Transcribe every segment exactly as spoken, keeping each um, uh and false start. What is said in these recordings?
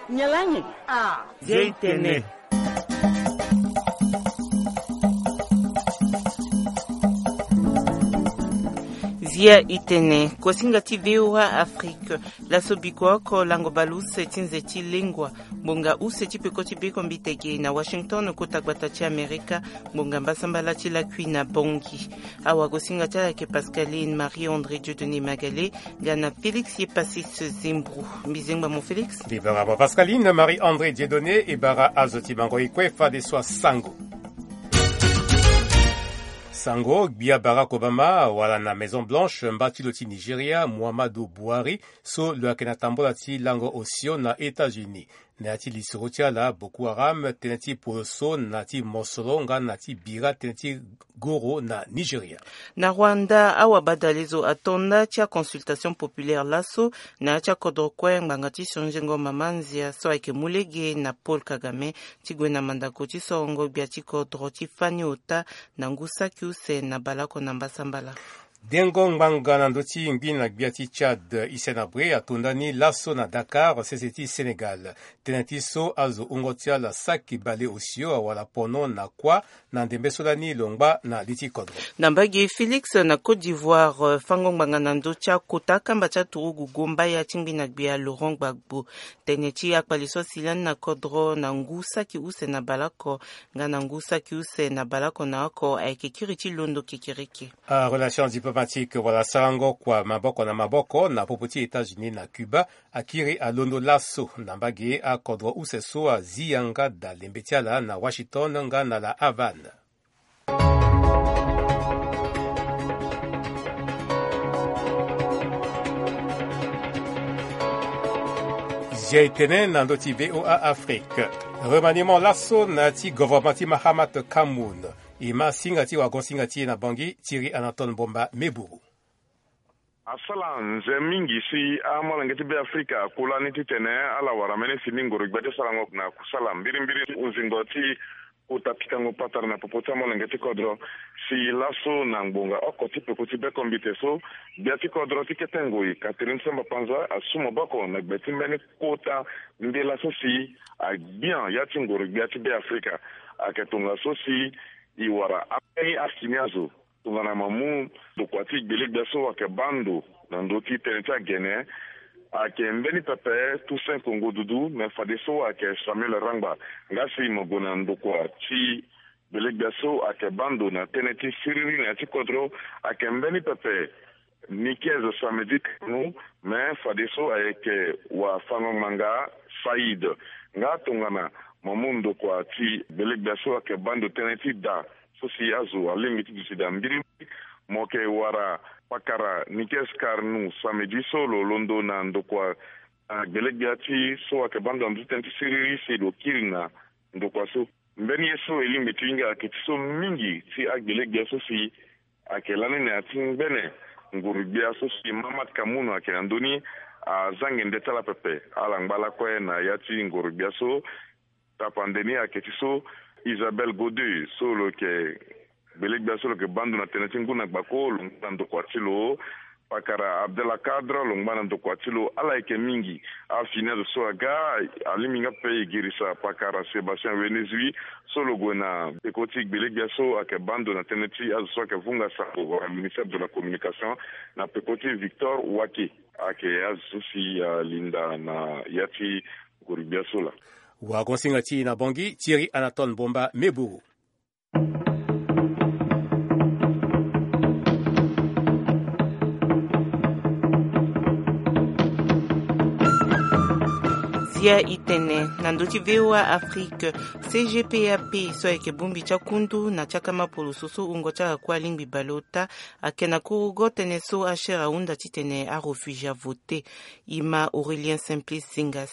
Nyalangi. Ah. Zia itene. Zia itene. Kosinga ti VOA Afrique. Laso biko oko lango baleuse ti nze ti lengua. Ngbonga use ti peko ti bekombite ge na Washington, kota gbata ti Amerika. Ngbonga mbasambala ti lakui na Bangui. Awagosinga ti ala ayeke Pascaline Marie André Dieudonné Magale, nga na Félix Yepassis Zembro. Mbi zengba mo Félix. Mbi bara mo Pascaline Marie André Dieudonné, e bara azo ti bango e kue fadeso asango. Sango, gbia Barack Obama awara na Maison Blanche mba ti lo ti Nigeria, Muhammadu Buhari, so lo yeke na tambola ti lango osio na États-Unis. Na ya ti lisoro ti ala, Boko Haram tënë ti poro so na ti mosoro nga na ti bira tënë ti goro na Nigeria. Na Rwanda, awabadale zo ato nda ti aconsultation populaire laso na ya ti akodro kue ngbanga ti sonzengo mama nzia so ayeke mu lege na Paul Kagame ti gue na mandako ti sorongo gbia ti kodro ti fani ota na ngu saki use na baleoko na mbasambala. Dengo ngbanga na ndö ti ngbi na gbia ti Tchad, Hissène Habré ato nda ni laso na Dakar, sese ti Sénégal. Tënë ti so azo wungo ti ala saki baleosio awara pono na kuâ na ndembe so lani lo ngba na li ti kodro. Na mbage Félix na Côte d'Ivoire, fango ngbanga na ndö ti akota akamba ti aturugu gombaya ti ngbi na gbia Laurent Gbagbo. Tënë ti akpali so asi lani na kodro na ngu saki use na baleoko nga na ngu saki use na baleoko na oko ayeke kiri ti londo kekereke. Arelation diplomatique wala sarango kua maboko na maboko na popo ti États-Unis na Cuba akiri alondo laso na mbage akodro use so azi yanga da lembe ti ala na Washington nga na La Havane. Zia etene na ndö ti VOA Afrique. Remaniement laso na ya ti gouvernement ti Mahamat Kamoun. E ma singa ti wagon singa ti e na Bangui, Thierry Anatole Mbomba Meburu. Asala nze mingi si amolenge ti Beafrika akula ni titene ala wara mbeni fini ngoro gbia ti sarango na kusala mbirimbiri ti hunzingo ti kota pikango patara na popo ti amolenge ti kodro. Si laso na ngbonga oko ti peko ti bekombite so, gbia ti kodro ti kete ngoi Catherine Samba Panza asu maboko na gbe ti mbeni kota nde laso si agbia ya ti ngoro gbia ti Beafrika. Ayeke tongaso si e wara ambeni afini azo tongana mo mu ndokua ti gbele-gbia so ayeke baa ndo na ndö ti tënë ti agene, ayeke mbeni pepe Toussaint Kongo Dudu, me fadeso ayeke Samuel Rangba. Nga si mo gue na ndokua ti gbele-gbia so ayeke baa ndo na tënë ti siriri na ya ti kodro, ayeke mbeni pepe Nikez Samedi Kanu, me fadeso ayeke wafango-ngbanga Saïd. Nga tongana mo mu ndokua ti gbele-gbia so ayeke baa ndo tënë ti da so si azo alingbi ti duti daa mbirimbiri, mo yeke wara pakara Nikes Karnu Samedi so lo londo na ndokua, ah, gbele-gbia ti so ayeke baa ndo na ndö ti tënë ti siriri si lo kiri na ndokua so. Mbeni ye so e lingbi ti hinga ayeke ti so mingi ti agbele-gbia so si ayeke lani na ya ti ngbene nguru-gbia so si Mahamat Kamoun ayeke na ndö ni, azange nde ti ala pepe. Ala ngba lakue na ya ti nguru-gbia so. Tapande ni ayeke ti so Isabelle Godet so lo yeke gbele-gbia so lo yeke baa ndo na tënë ti ngu na gbako, lo ngba na ndokua ti lo. Pakara Abdallah Kadre lo ngba na ndokua ti lo. Ala yeke mingi. Afini azo so aga, alingbi nga pepe e girisa pakara Sébastien Wenezui so lo gue na peko ti gbele-gbia so ayeke baa ndo na tënë ti azo so ayeke vunga sango wala ministère de la communication na peko ti Victor Wake. Ayeke azo so si alinda na ya ti nguru-gbia so laa. Wagon singa ti e na Bangui, Thierry Anatole Mbomba Meburu. Zia itene na ndö ti VOA Afrique, C G P A P so ayeke bongbi ti akundu na ti akama poloso so wungo ti ala kue alingbi baleota, ayeke na kurugo tënë so H R ahunda titene arefugie avote. E ma Aurélien Simplice Zingas.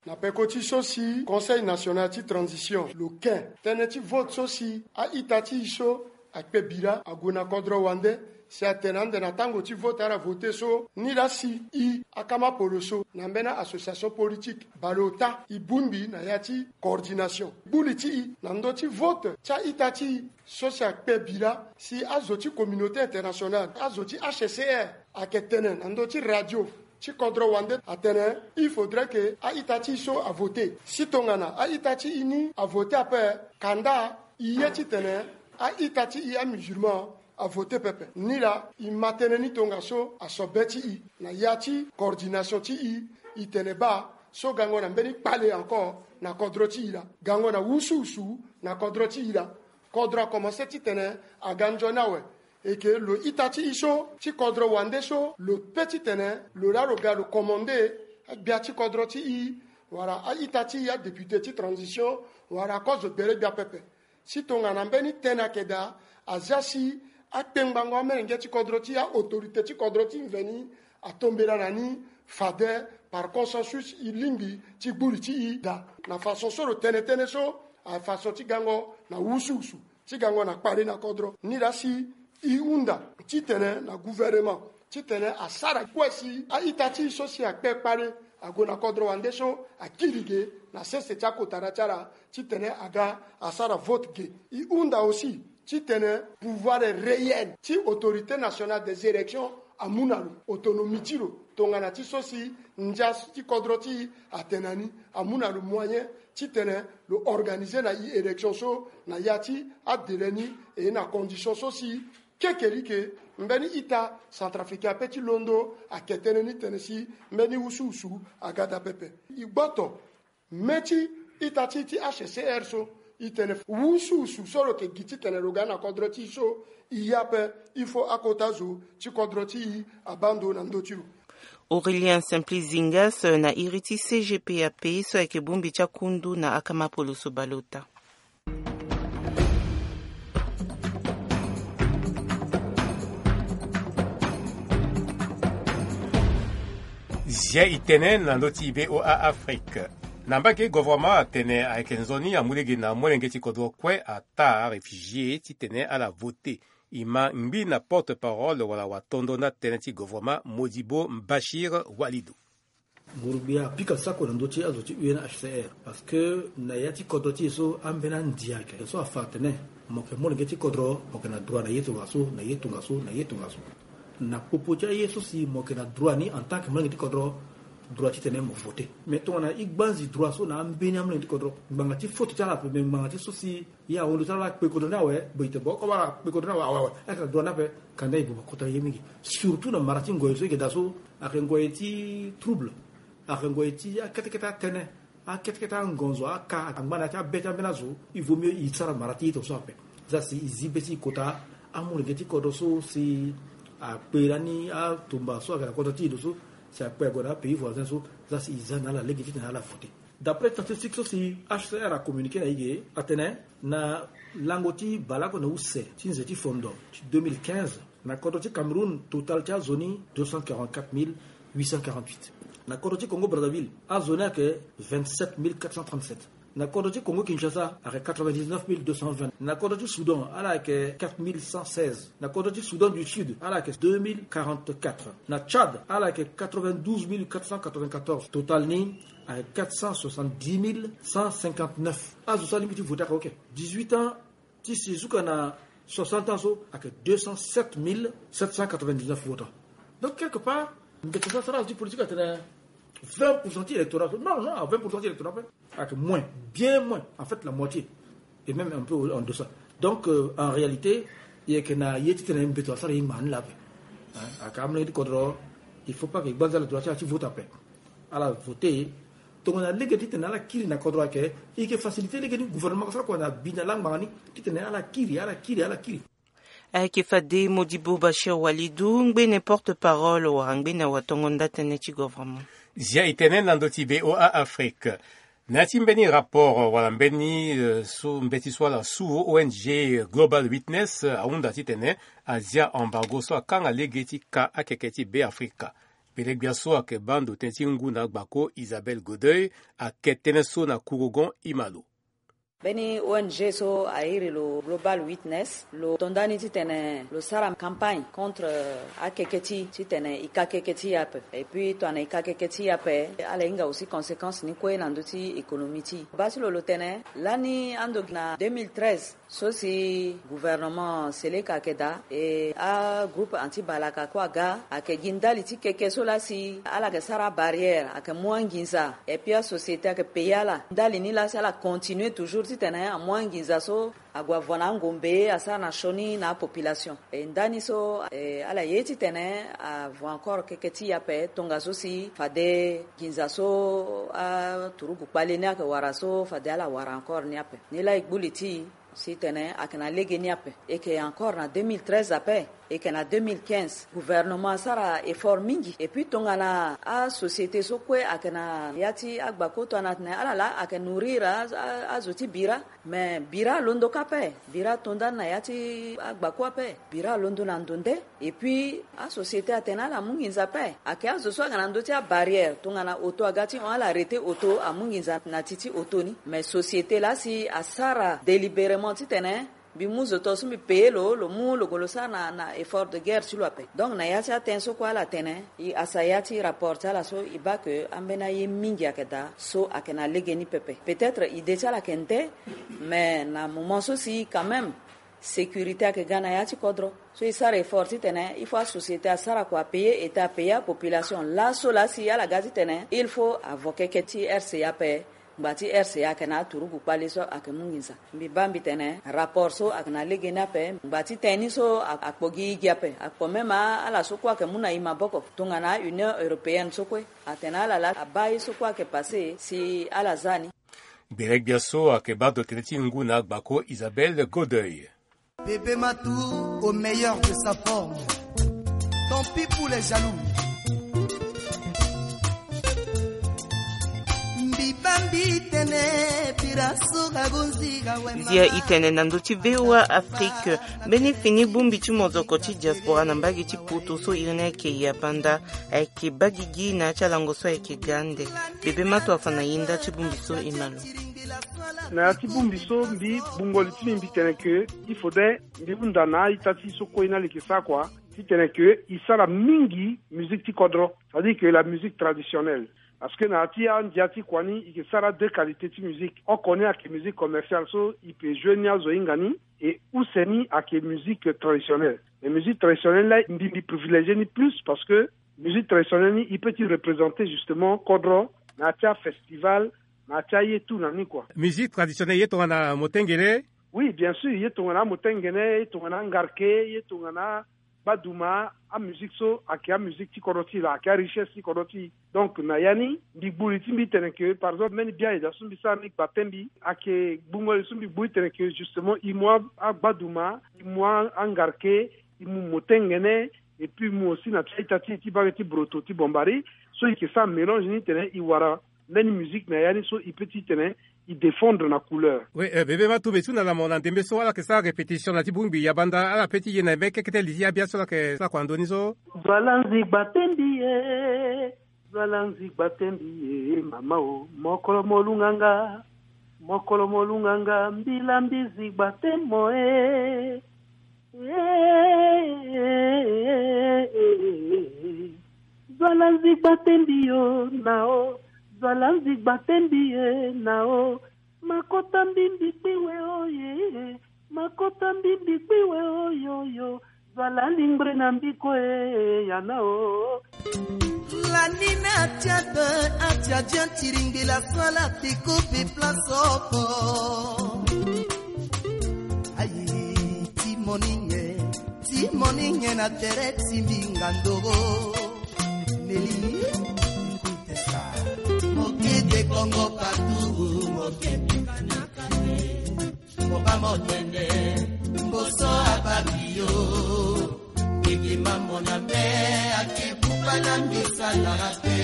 Na peko ti so si Conseil national ti transition lo ken tënë ti vote so si a-ita ti e so akpe bira ague na kodro wande, si atene ande na tango ti vote ala vote so, ni laa si e akama poloso na mbeni association politique baleota e bongbi na ya ti coordination. Gbuli ti e na ndö ti vote ti a-ita ti e so si akpe bira si azo ti communauté internationale, azo ti H C R ayeke tene na ndö ti radio ti kodro wande atene il faudrait que a-ita ti e so avote. Si tongana a-ita ti e ni avote ape, kanda e ye titene a-ita ti e amusulman avote pepe. Ni laa e ma tënë ni tongaso aso be ti e na ya ti coordination ti e. E tene baa so gango na mbeni kpale encore na kodro ti e laa, gango na wusuwusu na kodro ti e laa. Kodro akomanse titene aga nzoni awe. E ke lo ita ti e so ti kodro wande so lo pe titene lo laa lo ga lo komande agbia ti kodro ti e, wala a-ita ti e adéputé ti transition, wala kozo gbele gbia pepe. Si tongana mbeni tënë ayeke daa, azia si akpengbango amolenge ti kodro ti e, a-autorité ti kodro ti e mveni atombela na ni fade par consensus e lingbi ti gbu li ti e daa. Na façon so lo tene tënë so, a façon ti gango na wusuwusu, ti gango na kpale na kodro. Ni laa si e hunda titene na gouvernement titene asara kue si a-ita ti e so si akpe kpale ague na kodro wande so akiri ge na sese ti akotara ti ala titene aga asara vote ge. E hunda aussi titene pouvoir réel ti Autorité nationale des élections amu na lo autonomie ti lo tongana ti so si ndia ti kodro ti e atene na ni, amu na lo moyen titene lo organiser na e élection so na ya ti adélai ni, e na condition so si kekereke mbeni ita centrafricain ape ti londo ayeke tënë ni tene si mbeni wusuwusu aga daa pepe. E gboto me ti ita ti e ti H C R so, e tene wusuwusu so lo yeke gi titene lo ga na kodro ti e so, e ye ape, il faut akota zo ti kodro ti e abaa ndo na ndö ti lo. Aurélien Simplice Zingas na iri ti C G P A P so ayeke bongbi ti akundu na akamapolo so baleota. Zia e tene na ndö ti V O A Afrique. Na mbage, gouvernement atene ayeke nzoni amu lege na molenge ti kodro kue, ataa réfugié titene ala voter. E ma ngbi na porte-parole wala watondo na tënë ti gouvernement, Modibo Mbachir Walidou. Nguru-gbia apika sako na ndö ti azo ti U N H C R, parce que na ya ti kodro ti e so ambeni andi ayeke so afa atene mo yeke molenge ti kodro, mo yeke na droit na ye tongaso, na ye tongaso, na ye tongaso. Na popo ti aye so si mo yeke na droit ni en tant que molenge ti kodro, droit titene mo voter. Mais tongana e gbanzi droit so na ambeni amolenge ti kodro, ngbanga ti faute ti ala ape, mais ngbanga ti so si e ahon ndo ti ala ala kpe kodro ni awe, be e tene bon, comme ala kpe kodro ni awe, awe, awe, ayeke na droit ni ape. Kanda e boma kota ye mingi. Surtout na mara ti ngoi so e yeke daa so, ayeke ngoi ti trouble, ayeke ngoi ti akete kete atënë, akete kete angonzo, aka, angba na ya ti abe ti ambeni azo. Il vaut mieux e sara mara ti e tongaso ape. Za si e zi be ti e kota, amolenge ti kodro so si akpe lani atumba so ayeke na kodro ti e ndo so, si akpe ague na apays voisin so, za si e za na ala lege titene ala voter. D'après statistique so si H C R acommuniqué na e ge, atene na lango ti baleoko na use ti nze ti fondo ti deux mille quinze, na kodro ti Cameroun, total ti azo ni deux cent quarante-quatre mille huit cent quarante-huit. Na kodro ti Congo Brazzaville, azo ni ayeke vingt-sept mille quatre cent trente-sept. Na kodro ti Congo Kinshasa ayeke quatre-vingt-dix-neuf mille deux cent vingt. Na kodro ti Soudan, ala ayeke quatre mille cent seize. Na kodro ti Soudan du Sud, ala ayeke deux mille quarante-quatre. Na Tchad, ala ayeke quatre-vingt-douze mille quatre cent quatre-vingt-quatorze. Total ni ayeke quatre cent soixante-dix mille cent cinquante-neuf. Azo so alingbi ti voter ayeke oke. Dix-huit ans ti si zuka na soixante ans so ayeke deux cent sept mille sept cent quatre-vingt-dix-neuf votants. Donc, quelque part, ndeke so asara azo ti politique atene vingt pour cent ti électorat so. Non, non, vingt pour cent ti électorat ape. Ayeke moins, bien moins, en fait, la moitié. Et même un peu en deçà. Donc, euh, en réalité, e yeke na ye titene mbeto asara ye ngbanga ni laa ape. Hein, ayeke amolenge ti kodro, il faut pas que e gbanza ala droit ti ala ti vote ape. Ala voter. Tongana lege titene ala kiri na kodro ayeke, e yeke faciliter lege ni gouvernement asara kua na bi na langbanga ni titene ala kiri, ala kiri, ala kiri. Ayeke fade Modibo Bachir Walidou, ngbene porte-parole wala ngbene awatongo nda tënë ti gouvernement. Zia e tene na ndö ti V O A Afrique. Na ya ti mbeni rapport wala mbeni, eh, so mbeti so ala su, O N G Global Witness, eh, ahunda titene azia embargo so akanga lege ti ka akeke ti Beafrika. Pelegbia so ayeke baa ndo tënë ti ngu na gbako Isabelle Godoy ayeke tënë so na Kourougon Imalo. Mbeni O N G so a iri lo Global Witness, lo to nda ni titene lo sara campagne contre, euh, akeke ti, titene e ka keke ti e ape. Et puis tongana e ka keke ti e ape, ala hinga aussi conséquence ni kue na ndö ti économie ti e. Baa ti lo lo tene lani ando gi na deux mille treize, so si gouvernement Seleka ayeke daa, e agroupe anti-balaka kue aga, ayeke gi ndali ti keke so laa si ala yeke sara abarrière, ayeke mu anginza, et puis asociété ayeke paye ala. Ndali ni laa si ala continue toujours titene amu anginza so ague avo na angombe, asara na sioni na apopulation. E ndani so, e ala ye titene avo encore keke ti e ape, tongaso si fade nginza so aturugu kpale ni ayeke wara so, fade ala wara encore ni ape. Ni laa e gbu li ti e si tene ayeke na lege ni ape. E yeke encore na deux mille treize ape, e yeke na deux mille quinze. Gouvernement asara effort mingi. Et puis tongana asociété so kue ayeke na ya ti agbako, tongana atene ala laa ayeke nourrir a, a, azo ti bira. Mais bira alondo kâ ape. Bira ato ndani na ya ti agbako ape. Bira alondo na ndo nde. Et puis asociété atene ala mu nginza ape. Ayeke azo so ayeke na ndö ti abarrière, tongana auto aga ti hon, ala arrêter auto, amu nginza na ti ti auto ni. Mais société laa si asara délibérément titene mbi mu zo to so mbi paye lo, lo mu lo gue lo sara na, na effort de guerre ti lo ape. Donc na ya ti atene so kue ala tene, e, asa ya ti rapport ti ala so, e baa ke ambeni aye mingi ayeke daa so ayeke na lege ni pepe. Peut-être idée ti ala ayeke nde, mais na moment so si quand même sécurité ayeke ga na ya ti kodro, so e sara effort titene il faut asociété asara kua, apaye État, apaye apopulation. Laso laa si ala ga titene il faut avo keke ti R C A ape. Ngba ti R C A ayeke na aturugu kpale so ayeke mu nginza. Mbi baa mbi tene rapport so ayeke na lege ni ape. Ngba ti tënë ni so a, akpo gi e gi ape, akpo même a, ala so kue ayeke mu na e maboko. Tongana Union européenne so kue atene ala laa abaa ye so kue ayeke passé si ala za ni. Gbenegbia so ayeke baa ndo tënë ti ngu na agbako Isabelle Godeuil. Bébé Matou au meilleur de sa forme. Tant pis pour les jaloux. Mbi baa mbi tene bira so ga gonzi ga wema. Zia e tene na ndö ti V O A Afrique. Mbeni fini bongbi ti mozoko ti diaspora na mbage ti poto so iri ni ayeke Yabanda, ayeke baa gigi na ya ti alango so ayeke ga ande. Bébé Matou afa na e nda ti bongbi so e ma lo. Na ya ti bongbi so mbi gbungo li ti mbi, mbi tene ke il faudrait mbi hunda na a-ita ti e so kue ni ala yeke sara kua, titene ke e sara mingi musique ti kodro, c'est-à-dire que la musique traditionnelle. Parce que na ya ti andia ti kua ni e yeke sara deux qualités ti musique. Oko ni ayeke musique commerciale so e peut jouer ni azo hinga ni, et use ni ayeke musique traditionnelle. Mais musique traditionnelle laa mbi, mbi privilégier ni plus parce que musique traditionnelle ni e peut ti représenter justement kodro na ya ti afestival, na ya ti aye tout na ni kua. Musique traditionnelle, ye tongana motengene? Oui, bien sûr, ye tongana amotengene, ye tongana angarke, ye tongana agbaduma, amusique so ayeke amusique ti kodro ti e laa, ayeke arichesse ti kodro ti e. Donc na ya ni mbi gbu li ti mbi titene ke, par exemple, mbeni biaye daa so mbi sara ni gba tënë mbi, ayeke gbungo li so mbi gbu titene ke justement e mu a, agbaduma, e mu a, angarke, e mu motengene, et puis e mu aussi na ti a-ita ti e ti bage ti broto ti bombari, so e yeke sara mélange ni titene e wara mbeni musique na ya ni so e peut ti tene e défendre na couleur. Oui, euh, Bébé Matou, mbi su na la mo na ndembe so ala yeke sara répétition na ti bongbi Yabanda, ala peut ti ye na mbeni kekete li ti abia so ala yeke sara kua na ndö ni so. Zo ala nzigba te mbi e, zo ala nzigba te mbi e, mama o, mokolo mo lunga nga, mokolo mo lunga nga, mbila mbi zigba te mo e. Zo ala nzigba te mbi yo na o, zo ala nzigba te mbi e na o, makota mbi mbi kpi we o ye, makota mbi mbi kpi we o yo yo, zo ala lingbre na mbi kue ya na o. Lanina tia de atia dia tiringila sala tiko pe place oko. Ayi, ti moninge, ti moninge na tere ti mbinga ndogo. Neli, kutesa, mokete kongo patu, mokete kanakane. Moba motende, mboso abambi yo. Bigi mambo na mbe, ake buba na mbisa na rape.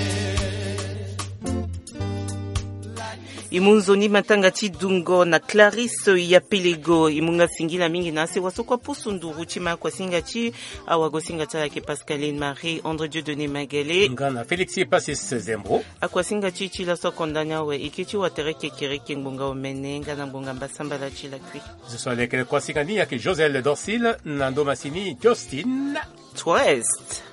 E mu nzoni matanga ti dungo na Clarisse Yapelego. E mu nga singila mingi na asewa so kue pusu nduru ti ma akuasinga ti awagosinga ti ala yeke Pascaline Marie André Dieu Donné Magale. Nga na Félix Passis Zembo. Akuasinga ti ti laso akonda ni awe eke ti watere kekereke ngbonga omene nga na ngbonga mbasambala ti lakui. Zo so alekere kuasinga ni yeke Josel Dorsil na ndo masini Justin. Twest.